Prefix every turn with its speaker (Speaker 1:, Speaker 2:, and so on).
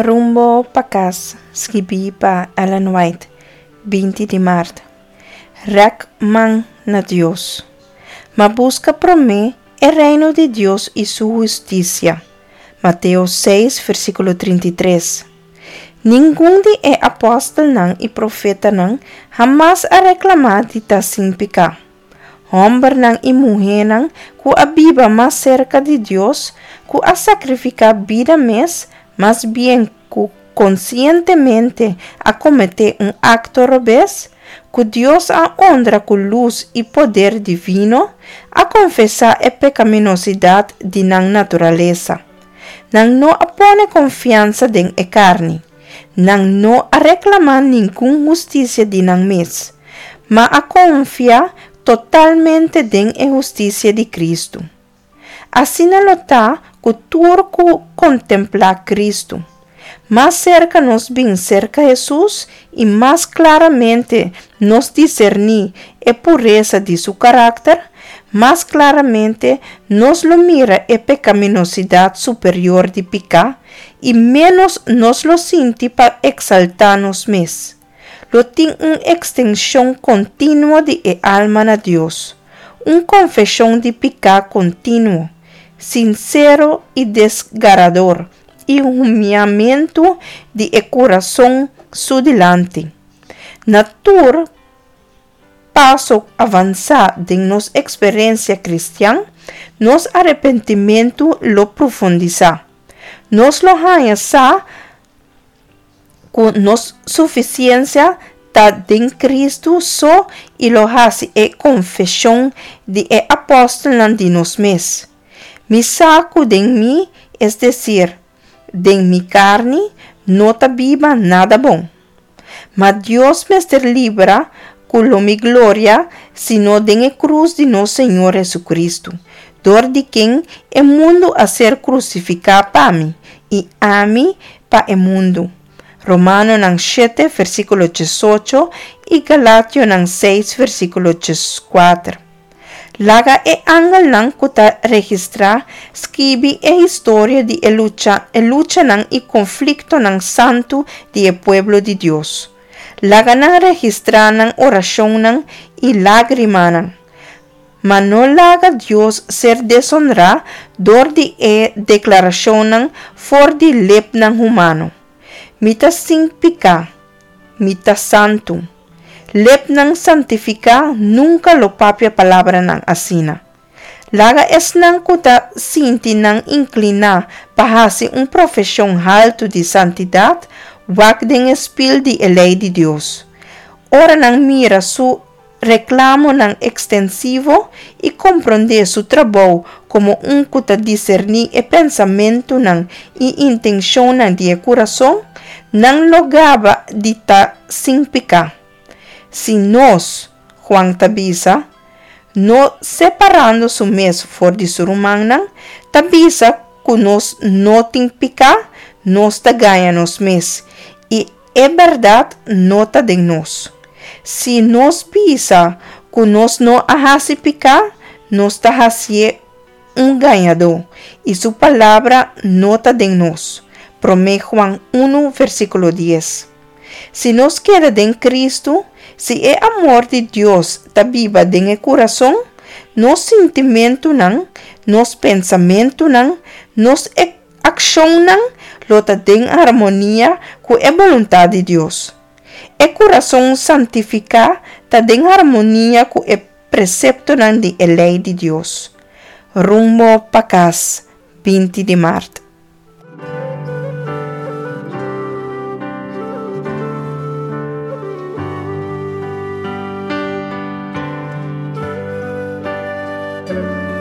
Speaker 1: Rumbo pa kas, skibí pa Ellen White, 20 di mart. Rèk man na Dios. Ma buska promé e Reino di Dios i su hustisia. Mateo 6, versíkulo 33. Ningun di e apòstelnan i profetanan hamas a reklamá di ta sin piká. Hòmbernan i muhénan ku a biba mas serka di Dios, ku a sakrifiká bida mes, mas bien ku konsientemente a kometé un akto robes, ku Dios a honra ku lus i poder divino, a konfesá e pekaminosidat di nan naturalesa. Nan no a pone konfiansa den e karni. Nan no a reklamá ningun hustisia di nan mes, ma a konfia totalmente den e hustisia di Kristu. Asina lo ta ku tur ku kontemplá Kristu. Mas serka nos bin serka Hesus i mas klaramente nos diserní e puresa di su karakter, mas klaramente nos lo mira e pekaminosidat superior di piká i ménos nos lo sinti pa eksaltá nos mes. Lo tin un ekstenshon kontinuo di e alma na Dios, un konfeshon di piká kontinuo, sinsero i desgarador, i humiamentu di e kurason Su dilanti. Na tur paso avansá den nos eksperensia kristian, nos arepentimentu lo profundisá. Nos lo haña sa ku nos sufisiensia ta den Kristu so i lo hasi e konfeshon di e apòstelnan di nos mes, Mi sa ku den mi, es desir, den mi karni, no ta biba nada bon. Ma Dios mester libra ku lo mi gloria sino den e krus di nos Señor Hesukristu, dor di ken e mundu a ser krusifiká pa mi, i ami pa e mundu. Romanonan shete, versíkulo diesocho i Galationan seis, versíkulo dieskuater. Laga e angelnan ku ta registrá skibi e historia di e lucha, e luchanan i konfliktonan santu di e pueblo di Dios. Laga nan registrá nan orashonnan i lágrimanan. Ma no laga Dios ser desonrá dor di e deklarashonnan for di lepnan humano, Mi ta sin piká, mi ta santu. Lepnan santifiká nunka lo papia palabranan asina. Laga esnan ku ta sinti nan inkliná pa hasi un profeshon haltu di santidat wak den e spil di e lei di Dios. Ora nan mira su reklamonan ekstensivo i komprondé su trabou komo un ku ta diserní e pensamentunan i intenshonnan di e kurason, nan lo gaba di ta sin piká. Si nos, Juan ta bisa, no separando su mes for di su rumannan, ta bisa ku nos no tin piká, nos ta gaña nos mes, i e bèrdat no ta den nos. Si nos bisa ku nos no a hasi piká, nos ta hasié un gañadó, i su palabra no ta den nos. Promé Juan unu, versíkulo dies. Si nos keda den Kristu, si e amor di Dios ta biba den e kurason, nos sintimentunan, nos pensamentunan, nos akshonnan lo ta den harmonia ku e boluntat di Dios. E kurason santifiká ta den harmonia ku e preseptonan di e lei di Dios. Rumbo pa kas, 20 di mart.